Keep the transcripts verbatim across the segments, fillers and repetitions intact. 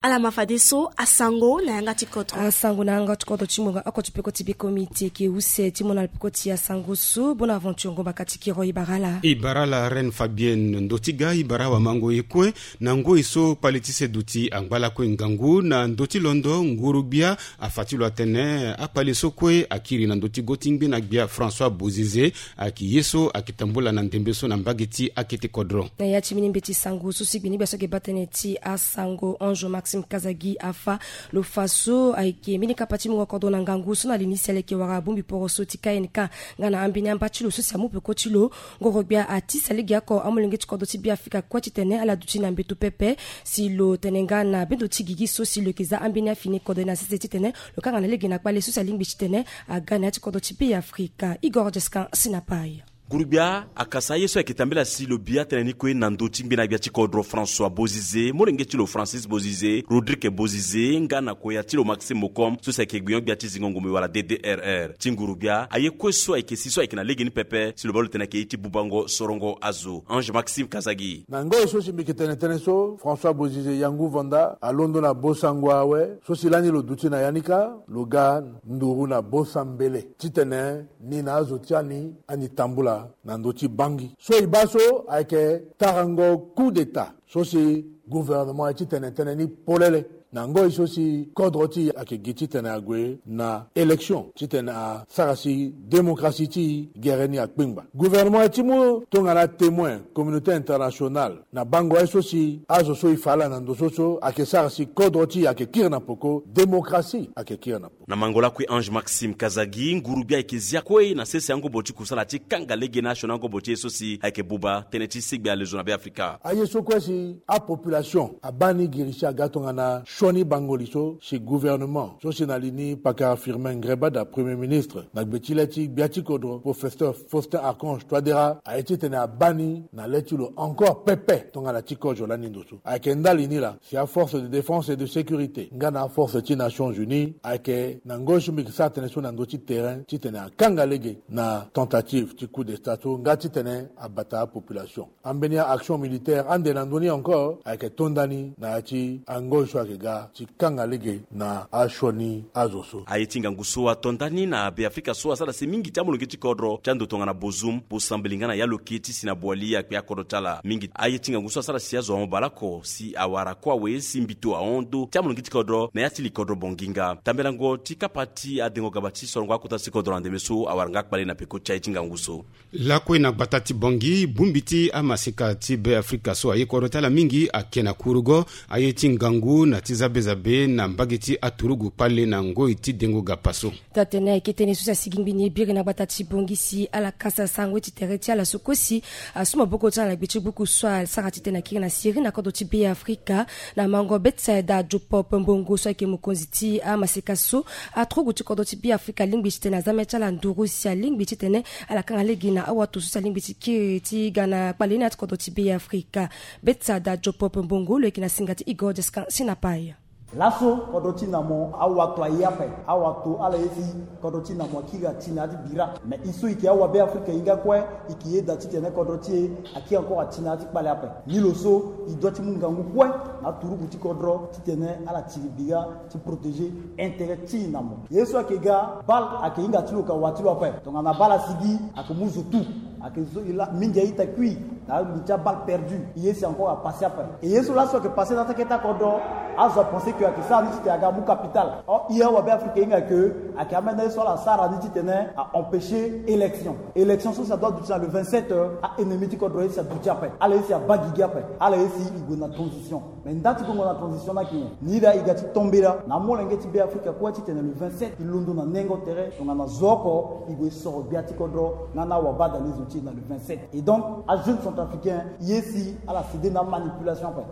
Ala ma fadeso asango na yanga ti kodro. Asango na yanga ti kodro ti ngonga oko ti peko ti biko miti eke use ti mona na peko ti asango so. Bonaventure Ngomba kati kiro e bara ala. E bara ala Reine Fabienne. Ndo ti ga e bara awamango e kue na ngoi so kpale ti seduti angba lakue ngangu na ndo ti londo nguru-gbia afa ti lo atene akpale so kue akiri na ndo ti go ti ngbena-gbia François Bozizé. Ayeke ye so ayeke tambula na ndembe so na mbage ti akete kodro. Na ya ti mbeni mbeti sango so si gbeni gbia so ayeke baa tënë ti asango Ange Maxime Kazagi afa lo fa so ayeke mbeni kapa ti mungo kodro na ngangu so na li ni si aleke wara bongbi poroso ti K N K nga na ambeni amba ti lo so si amu peko ti lo. Ngoro-gbia ati si alege oko amolenge ti kodro ti Beafrika kue titene ala duti na mbeto pepe si lo tene nga na bendo ti gigi so si lo yeke za ambeni afini kodro na sese titene lo kanga na lege na kpale so si alingbi titene aga na ya ti kodro ti Beafrika. Igor Jescan si na pai. Nguru-gbia akasa aye so ayeke tambela si lo bi atënë ni kue na ndö ti ngbena-gbia ti kodro François Bozizé, molenge ti lo Francis Bozizé, Rodrigue Bozizé nga na koya ti lo Maxime Mokom so si ayeke gbenyo-gbia ti zingo ngombe wala D D R R. Ti nguru-gbia aye kue so ayeke si so ayeke na lege ni pepe si lo baa lo tene ayeke ye ti bubango sorongo azo. Ange Maxime Kazagi. Na ngoi so si mbi yeke tene tënë so, François Bozizé Yangu Vanda alondo na bosango awe so si lani lo duti na ya ni kâ, lo ga nduru na bosa mbele titene ni na azo ti ani ani tambula na ndö ti bangi. So e baa so ayeke tarango coup d'état so si gouvernement aye ti tene tënë ni polele na ngoi so si kodro ti e ayeke gi titene ague na élection titene asara si démocratie ti e gere ni akpengba. Gouvernement aye ti mu tongana témoin communauté internationale na bango aye so si azo so e fa ala na ndo so so ayeke sara si kodro ti e ayeke kiri na peko, démocratie ayeke kiri na peko. Na mango lakue Ange Maxime Kazagi, nguru-gbia ayeke zia kue na sese angobo ti kusala ti kanga lege na asioni angobo ti e so si ayeke buba tënë ti segbe alezo na Beafrika. Aye so kue si apopulation abaa ni giri si aga tongana sioni bango li so si gouvernement so si na li ni pakara Firmin Ngreba da premier ministre na gbe ti le ti gbia ti kodro professeur Faustin Archange Touadéra aye titene abaa ni na le ti lo encore pepe tongana ti kozo lani ndo so. Ayeke ndali ni laa si aforce de défense et de sécurité nga na aforce ti Nations Unies ayeke na ngoi so mbi yeke sara tënë so na ndö ti terrain titene akanga lege na tentative ti coup d'état so nga titene abata apopulation. Ambeni a-action militaire ande na ndö ni encore ayeke to nda ni na ya ti angoi so ayeke ga ti kanga lege na asioni azo so. Aye ti ngangu so ato nda ni na Beafrika so asara si mingi ti amolenge ti kodro ti ando tongana Bozum, Bosambeli nga na ya lo ke ti si na Boali akpe akodro ti ala mingi. Aye ti ngangu so asara si azo ahon baleoko si awara kue awe si mbito ahon ndö ti amolenge ti kodro na ya ti li kodro Bongi nga. Tambelango ti kapa ti adengo gaba ti sorongo akota ti kodro na ndembe so awara nga kpale na peko ti aye ti ngangu so. Lakue na gbata ti Bongi, bongbi ti amaseka ti Beafrika so aye kodro ti ala mingi ake na kurugo. Aye ti ngangu na ti zabezabe na mbage ti aturugu kpale na ngoi ti dengo gapa so. Taa-tënë ayeke tënë so si asigi ngbeni biri na gbata ti Bongi si ala kasa sarango ti tere ti ala so kue si asu maboko ti ala na gbe ti buku so asara titene akiri na siri na kodro ti Beafrika. Na mango Bethsaida Jopop Mbongo so ayeke mokonzi ti amaseka so, aturugu ti kodro ti Beafrika alingbi titene aza mê ti ala nduru si alingbi titene ala kanga lege na awato so si alingbi ti kiri ti ga na kpale ni na ya ti kodro ti Beafrika. Bethsaida Jopop Mbongo lo yeke na singa ti Igor Jescan si na pai. Laso kodro ti na mo awato aye ape. Awato ala ye si kodro ti na mo akiri ati na ya ti bira. Me e so e yeke awabeafrika e hinga kue, e yeke yeda titene kodro ti e akiri encore ati na ya ti kpale ape. Ni lo so e doit ti mu ngangu kue na aturugu ti kodro titene ala tiri bira ti protéger intérêt ti e na mo. Ye so ayeke ga bale ayeke hinga ti lo ka wa ti lo ape. Tongana bale asigi ayeke mu zo tu. Ayeke zo e la mingi a-ita kui na angbi ti abale perdu. E ye si encore apasse ape. E ye so laso ayeke passe na ya ti akete akodro, azo apense ke ayeke sara ni titene aga amu capital. Or e awabeafrika e hinga ke ayeke amene ye so ala sara ni titene a-empêcher élection. Élection so si adoit aduti na le vingt-sept, a-ennemi ti kodro ye si aduti ape. Ala ye si abaa gigi ape. Ala ye si e gue na transition. Me nda ti gongo na transition ni ayeke nyen? Ni laa e ga ti tombela na amolenge ti Beafrika kue titene le vingt-sept e londo na nengo tere tongana zo oko e gue e soro gbia ti kodro nga na awabadalezo ti e na le vingt-sept. Et donc ajeune centrafricain e ye si ala céder na amanipulation ape.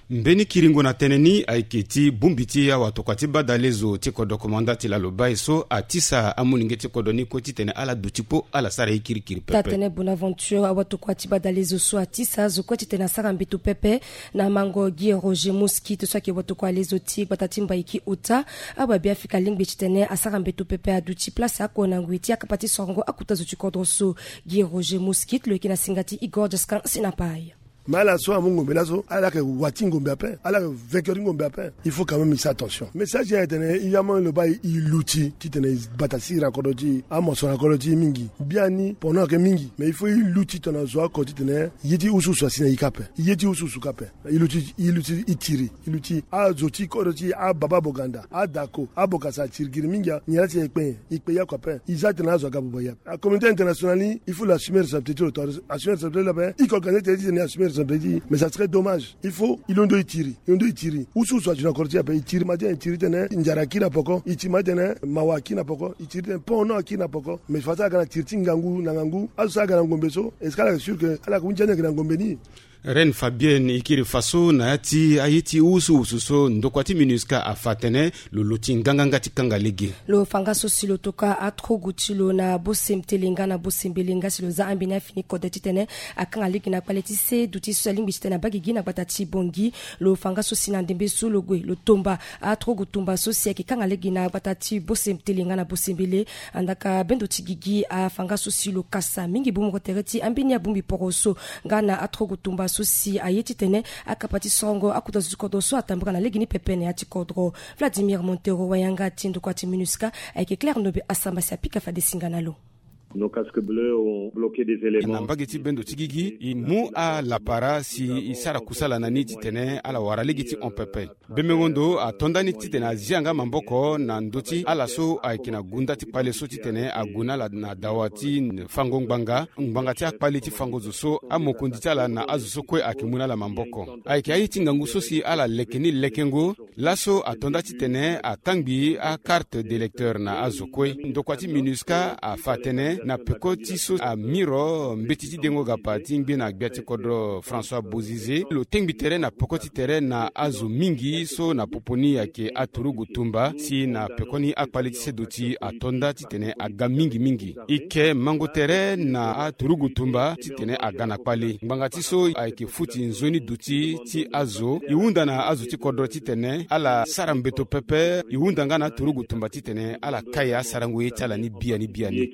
Mbeni kiringo na tënë ni ayeke ti bongbi ti awatokua ti badalezo ti kodro komanda ti lalo baa e so atisa amolenge ti kodro ni kue titene ala duti kpo ala sara ye kirikiri pepe. Taa-tënë Bonaventure, awatokua ti badalezo so atisa azo kue titene asara mbeto pepe. Na mango Guy Roger Mosquit so ayeke watokua lezo ti gbata ti Mbaiki ota, awabeafrika alingbi titene asara mbeto pepe aduti place oko na ngoi ti akapa ti sorongo akota zo ti kodro so. Guy Roger Mosquit lo yeke na singa ti Igor Jescan si na pai. Mais ala so amu ngombe laso, ala yeke wa ti ngombe ape, ala yeke vainqueur ti ngombe ape. Il faut quand même i sa attention. Message ya tene i amu lo baa i luti titene i bata sira na kodro ti i, amoso na kodro ti i mingi. Biani pendant ayeke mingi, mais il faut i luti tongana zo oko titene ye ti usuusu asi na i kâ ape. Ye ti usuusu kâ ape. I luti, i luti i tiri, i luti azo ti kodro ti i, ababa boganda, adako, abokasa, atiri giri mingi. Nyen la ti e kpe nyen? I kpe ya oko ape. I za tene azo aga buba ya. La communauté internationale ni, il faut lo assumer responsabilité ti lo to, assumer responsabilité ti lo ape. I ko organiser tene titene i assumer responsabilité ti i, mais ça serait dommage. Il faut i londo i tiri, i londo i tiri. Usuusu aju na kodro ti i ape. I tiri matin, i tiri tene nzara akiri na poko, i tiri matin tene mawa akiri na poko, i tiri tene pont no akiri na poko. Mais fa so aga na tiri ti ngangu na ngangu, azo so aga na ngombe so, est-ce que ala yeke sûr que ala yeke hunzi ande ayeke na ngombe ni? Reine Fabienne, i kiri fa so na ya ti aye ti usuusu so ndokua ti MINUSCA afa atene lo luti nganganga ti kanga lege. Lo fa nga so si lo toka aturugu ti lo na bose mtele nga na bose mbele nga si lo za ambeni afini kode titene akanga lege na kpale ti se duti so alingbi titene abaa gigi na gbata ti Bangui. Lo fa nga so si na ndembe so lo gue lo tomba aturugu tumba so si ayeke kanga lege na gbata ti bose mtele nga na bose mbele. Andaka bendo ti gigi afa nga so si lo kasa mingi bongbi moko tere ti ambeni abongbi poro so nga na aturugu tumba so si aye titene akapa ti sorongo akota zo ti kodro so atambula na legeni pepe na ya ti kodro. Vladimir Montero, wayanga ti ndokua ti MINUSCA, ayeke Claire Ndobe Asamba si apika fade singa na lo. Nos casques bleus ont bloqué des éléments. Na mbage ti bendo ti gigi, i mu alapara si i sara kusala na ni titene ala wara lege ti hon pepe. Bembengo ndo ato nda ni titene azia nga maboko na ndö ti ala so ayeke na gunda ti kpale so titene ague na ala na dawa ti fango ngbanga, ngbanga ti akpale ti fango zo so amokonzi ti ala na azo so kue ayeke mu na ala maboko. Ayeke aye ti ngangu so si ala leke ni lekengo. Laso ato nda titene akangbi akarte d'électeur na azo kue. Ndokua ti MINUSCA afa atene na peko ti so amiro mbeti ti dengo gapa ti ngbene gbia ti kodro François Bozizé, lo tengbi tere na peko ti tere na azo mingi so na popo ni ayeke aturugu tumba, si na pekoni akpale ti seduti ato nda titene aga mingi mingi. I ke mango tere na aturugu tumba titene aga na kpale. Ngbanga ti so ayeke futi nzoni duti ti azo, i hunda na azo ti kodro titene ala sara mbeto pepe. I hunda nga na aturugu tumba titene ala kai asarango ye ti ala ni biani biani.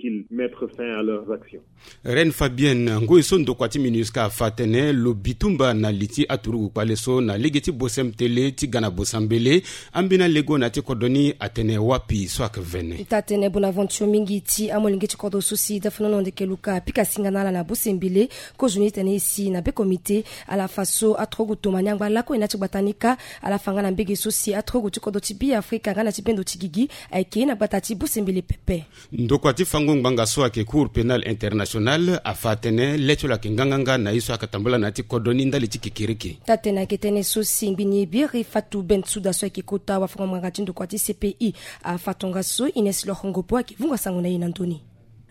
Reine Fabienne, ngoi so ndokua ti MINUSCA afa atene lo bitumba na li ti aturugu kpale so na lege ti bose mtele ti ga na bose mbele. Ambeni alego na ya ti kodro ni atene wapi so ayeke vene? Ita tene Bonaventure mingi ti amolenge ti kodro so si dafanono ndeke luka apika singa na ala na bose mbele. Kozoni tene e si na be komite ala fa so aturugu tomani angba lakue na ya ti gbata ni kâ. Ala fa nga na mbege so si aturugu ti kodro ti Beafrika nga na ti bendo ti gigi ayeke na gbata ti bose mbele pepe. Ndokua ti fango ngbanga so ayeke Cour Pénale Internationale afa atene le ti lo ayeke nganganga na ye so ayeke tambula na ya ti kodro ni ndali ti kekereke. Taa tene ayeke tënë so si ngbini biri Fatou Bensouda so ayeke kota wafango-ngbanga ti ndokua ti C P I afa tongaso. Ines Lorongopo ayeke vunga sango na e na ndö ni.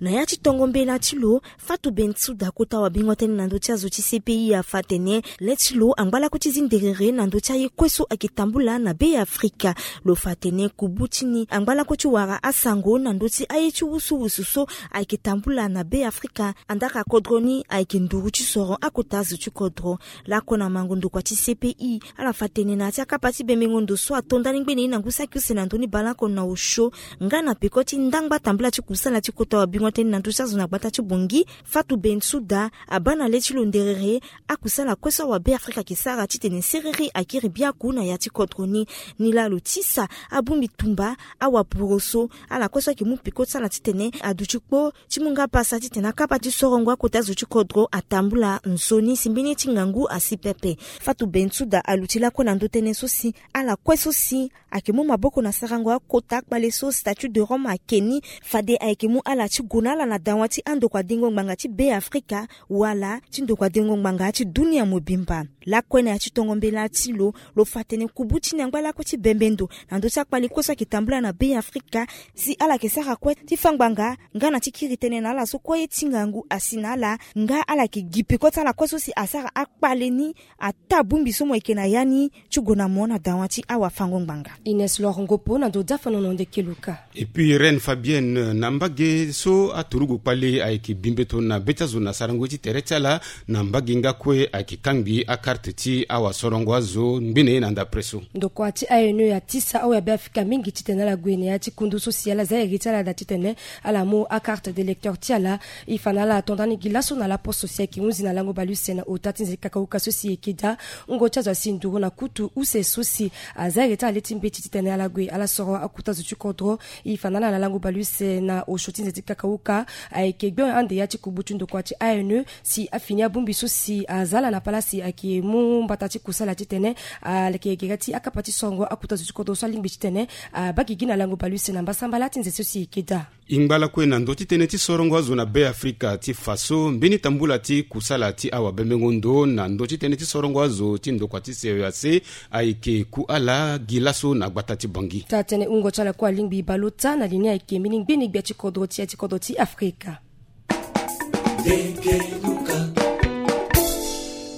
Na ya ti tongo mbela ti lo, Fatou Bensouda kota wabingo tënë na ndö ti azo ti C P I afa atene le ti lo angba lakue ti zi nderere na ndö ti aye kue so ayeke tambula na Beafrika. Lo fa atene kubu ti ni angba lakue ti wara asango na ndö ti aye ti wusuwusu so ayeke tambula na Beafrika. Andaka kodro ni ayeke nduru ti soro akota azo ti kodro. Lakue na mango ndokua ti C P I, ala fa tene na ya ti akapa ti bembengo ndo so ato ndani ngbene ye na ngu saki use na ndö ni baleoko na osio nga na peko ti ndangba tambula ti kusala ti kota wabingo tënë na ndö ti azo na gbata ti Bangui, Fatou Bensouda abaa na le ti lo nderere akusala kue so awabeafrika ayeke sara titene siriri akiri biaku na ya ti kodro ni. Nilaa lo tisa abongbi tumba awaporo so, ala kue so ayeke mu peko ti ala titene aduti kpo ti mu nga pasa titene akapa ti sorongo akota zo ti kodro atambula nzoni si mbeni ye ti ngangu asi pepe. Fatou Bensouda aluti lakue na ndö tënë so si ala kue so si ayeke mu maboko na sarango akota kpale so Statut de Rome ayeke ni, fade ayeke mu ala ti gue na ala na dawa ti andokua dengo ngbanga ti Beafrika wala ti ndokua dengo ngbanga ti dunia mobimba. Lakue na ya ti tongo mbela ti lo, lo fa tene kubu ti ni angba lakue ti bembe ndo na ndö ti akpale kue so ayeke tambula na Beafrika, si ala yeke sara kue ti fâ ngbanga nga na ti kiri tënë na ala so kue ye ti ngangu asi na ala, nga ala yeke gi peko ti ala kue so si asara akpale ni ataa bongbi so mo yeke na ya ni ti gue na mo na dawa ti awafango-ngbanga. Ines Lorongopo na ndo dafanono ndeke luka. Et puis Reine Fabienne, na mbage so aturugu kpale ayeke bi mbeto na be ti azo na sarango ti tere ti ala, na mbage nga kue ayeke kangbi aka Karte ti awasorongo azo ngbene na ndapre so. Ndokua ti A N E atisa awe abe Afrika mingi titene ala gue na ya ti kundu so si ala za iri ti ala daa titene ala mu akarte d'électeur ti ala. E fa na ala ato ndani gi laso na laposo si ayeke hunzi na lango baleuse na ota ti nze ti kakauka so si e yeke daa. Wungo ti azo asi nduru na kutu use so si aza iri ti ala le ti mbeti titene ala gue ala soro akuta zo ti kodro. E fa na ala na lango baleuse na osio ti nze ti kakauka ayeke gbe ande ya ti kubu ti ndokua ti A N E si afini abongbi so si aza ala na palasi ayeke mu mbata ti kusala titene ala yeke gere ti akapa ti sorongo akuta zo ti kodro so alingbi titene abaa gigi na lango baleuse na mbasambala ti nze so si e yeke daa. E ngba lakue na ndö ti tënë ti sorongo azo na Be Afrika ti fa so mbeni tambula ti kusala ti awabembengo ndo na ndö ti tënë ti sorongo azo ti ndokua ti C E A C ayeke ku ala gi laso na gbata ti Bangui. Taa tënë wungo ti ala kue alingbi baleota na li ni ayeke mbeni ngbeni gbia ti kodro ti ya ti kodro ti Afrika.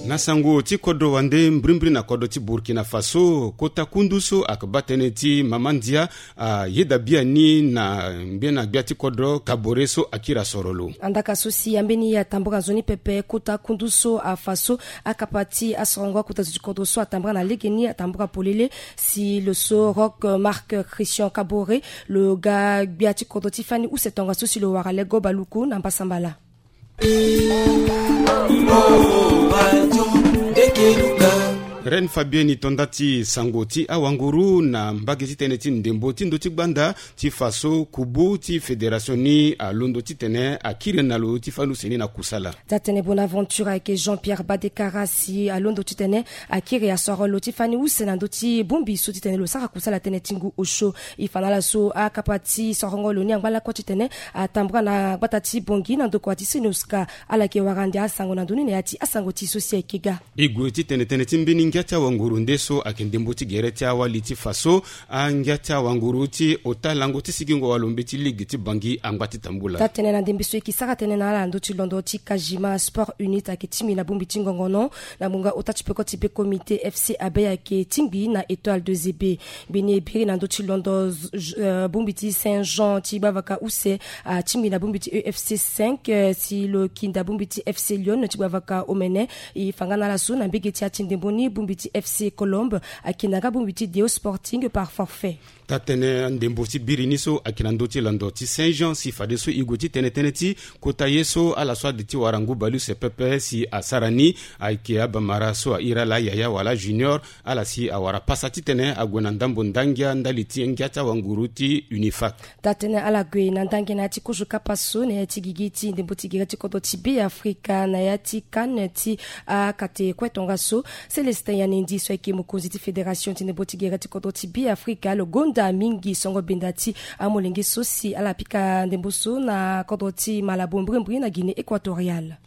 Na sango ti kodro wande mbrimbri na kodro ti Burkina Faso, kota kundu so ayeke baa tënë ti mama ndia ayeda biani na mbeni gbia ti kodro Kabore so akiri asoro lo. Andaka so si ambeni atambara nzoni pepe kota kundu so afa so akapa ti asorongo akuta zo ti kodro so atambara na legeni atambara polele si lo so Roch Marc Christian Kabore lo ga gbia ti kodro ti fani use tongaso si lo wara lego baluku na mbasambala. Reine Fabienne, e to nda ti sango ti awanguru na mbage ti tënë ti ndembo ti ndö ti gbanda ti fa so kubu ti fédération ni alondo titene akiri na lo ti fani use ni na kusala. Taa tënë Bonaventure ayeke Jean-Pierre Badekara si alondo titene akiri asoro lo ti fani use na ndö ti bongbi so titene lo sara kusala tënë ti ngu osio. E fa na ala so akapa ti sorongo lo ni angba lakue titene atambara na gbata ti Bangui na ndokua ti Senoska. Ala yeke wara ande asango na ndö ni na ya ti asango ti e so si ayeke ga. E gue titene tënë ti mbeni ngia ti awanguru nde so ayeke ndembo ti gere ti awali ti fa so angia ti awanguru ti ota lango ti sigingo walo mbeti ligue ti Bangui angba ti tambula. Taa tënë na ndembe so e yeke sara tënë na ala na ndö ti londo ti Kajima Sport Unit ayeke tingbi na bongbi ti ngongono na ngbonga ota ti peko ti be Comité F C Abeille ayeke tingbi na Étoile de Zébé. Mbeni e biri na ndö ti londo z- j- eh, bongbi ti Saint Jean ti gbavaka use atingbi na bongbi ti E F C cinq, eh, si lo kinda bongbi ti F C Lyon ti gbavaka omene. E fa nga na ala so na mbege ti ya ti ndembo ni bongbi ti F C Colombe akinda nga bongbi ti Deo Sporting par forfait. Taa tënë ndembo ti biri ni so ayeke na ndö ti londo ti Saint Jean si fadeso e gue ti tene tënë ti kota ye so ala so ade ti wara ngu baleuse pepe si asara ni ayeke abamara so airi ala Yaya wala Junior, ala si awara pasa titene ague na ndambo ndangia ndali ti ngia ti awanguru ti Unifac. Taa tënë ala gue na ndangia na ya ti kozo kapa so na ya ti gigi ti ndembo ti gere ti kodro ti Be Afrika na ya ti CAN ti akate kue tongaso. Célestin Yanendi so ayeke mokonzi ti fédération ti ndembo ti gere ti kodro ti Be Afrika lo gonda mingi songo benda ti amolenge so si ala pika ndembo so na kodro ti Malabo mbrimbri na Guinée Équatoriale.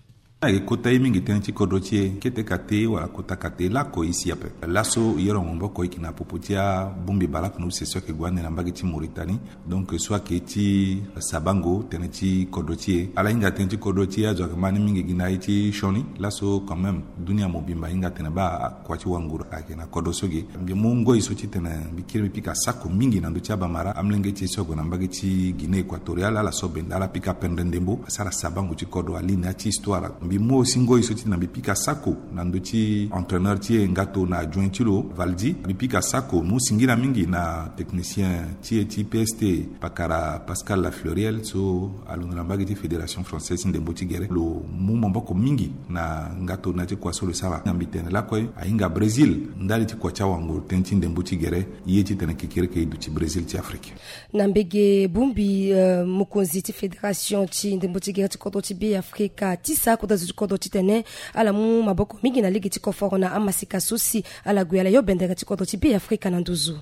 Ayeke kota ye mingi tënë ti kodro ti e kete kate wala kota kate lako e si ape. Laso e yoro maboko e yeke na popo ti abongbi baleuse so ayeke gue ande na mbage ti Mauritanie. Donc so ayeke ti sabango tënë ti kodro ti e. Ala hinga tënë ti kodro ti e azo ayeke ma ni mingi gi na ye ti sioni. Laso quand même dunia mobimba ahinga atene baa kua ti wanguru ayeke na kodro so ge. Mbi mu ngoi so titene mbi kiri mbi pika sako mingi na ndö ti abamara amolenge ti e so ague na mbage ti Guinée Équatoriale, ala so benda ala pika pendre ndembo asara sabango ti kodro aligne ya ti histoire. Mbi mu aussi ngoi so titene mbi pika sako na ndö ti entraîneur ti e Ngato na adjoint ti lo Valdi. Mbi pika sako mu singila mingi na technicien ti e ti P S T pakara Pascal Lafleuriel so alondo na mbage ti fédération française ti ndembo ti gere. Lo mu maboko mingi na ngato na ya ti kua so lo sara. Na mbi tene lakue ahinga Brésil ndali ti kua ti awanguru tënë ti ndembo ti gere. Ye titene kekereke e duti Brésil ti Afrique. Na mbege bongbi, eh, mokonzi ti fédération ti ndembo ti gere ti kodro ti Be Afrika ti sa kota zo ti kodro titene ala mu maboko mingi na lege ti koforo na amasika so si ala gue ala yo bendere ti kodro ti Be Afrika na nduzu.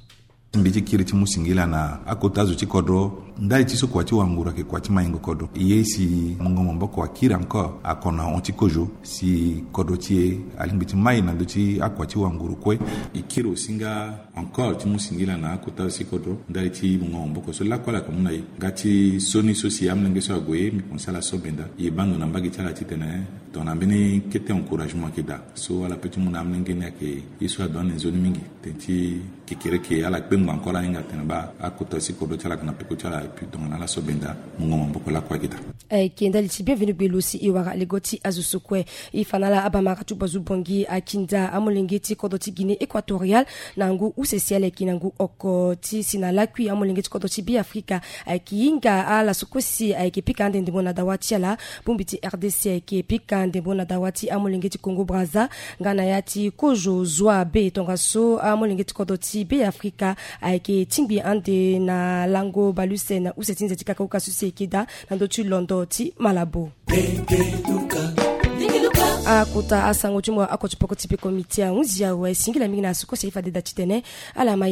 Mbi ti kiri ti mu singila na akota zo ti kodro ndali ti so kua ti wanguru ayeke kua ti maingo kodro. Ye si mungo maboko akiri encore akono ahon ti kozo si kodro ti e alingbi ti mai na ndö ti akua ti wanguru kue. E kiri aussi nga encore ti mu singila na akota zo ti kodro ndali ti mungo maboko so lakue ala yeke mu na e. Nga ti sioni so si amolenge so ague mbi pense ala so benda e baa ndo na mbage ti ala titene tongana mbeni kete encouragement ayeke daa so ala peut ti mu na amolenge ni ayeke ye so ado ande nzoni mingi. Tënë ti kekereke ala kpe Ngbanga kue ala hinga tene baa akota si kodro ti ala ayeke na peko ti ala, et puis tongana ala so benda mungo maboko lakue ayeke daa. Ayeke ndali ti bienvenu gbe lo si e wara lego ti azo so kue. E fa na ala abamara ti gbazu bongi akinda amolenge ti kodro ti Guinée Équatoriale na ngu use si ala yeke na ngu oko ti si na lakui amolenge ti kodro ti Beafrika ayeke hinga ala so kue si ayeke pika ande ndembo na dawa ti ala. Bongbi ti R D C ayeke pika ndembo na dawa ti amolenge ti Congo Brazza nga na ya ti kozo zwa be tongaso amolenge ti kodro ti Beafrika ayeke tingbi ande na lango baluse na use ti nze ti kakahuka so si ayeke daa na ndö ti londo ti Malabo. Akota asango ti mo akoti poko ti peko miti ahunzi awe singila mingi na so kue si aye fade daa titene ala ma